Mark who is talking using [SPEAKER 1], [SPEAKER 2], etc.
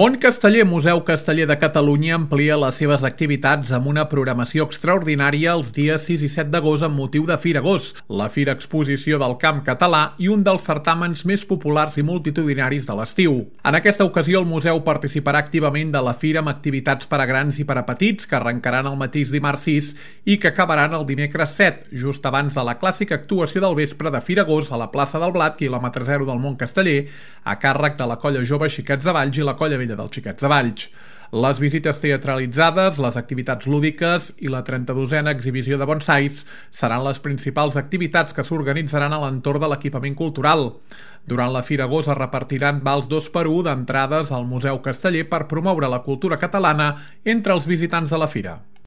[SPEAKER 1] Món Casteller, Museu Casteller de Catalunya, amplia les seves activitats amb una programació extraordinària els dies 6 i 7 d'agost amb motiu de Fira Agost, la Fira Exposició del Camp Català i un dels certàmens més populars i multitudinaris de l'estiu. En aquesta ocasió, el museu participarà activament de la Fira amb activitats per a grans i per a petits que arrencaran el mateix dimarts 6 i que acabaran el dimecres 7, just abans de la clàssica actuació del vespre de Fira Agost a la plaça del Blat, quilòmetre 0 del Mont Casteller, a càrrec de la Colla Jove Xiquets de Valls i la Colla Vella dels Xiquets de Valls. Les visites teatralitzades, les activitats lúdiques i la 32a exhibició de bonsais seran les principals activitats que s'organitzaran a l'entorn de l'equipament cultural. Durant la Fira Agost es repartiran vals 2x1 d'entrades al Museu Casteller per promoure la cultura catalana entre els visitants de la fira.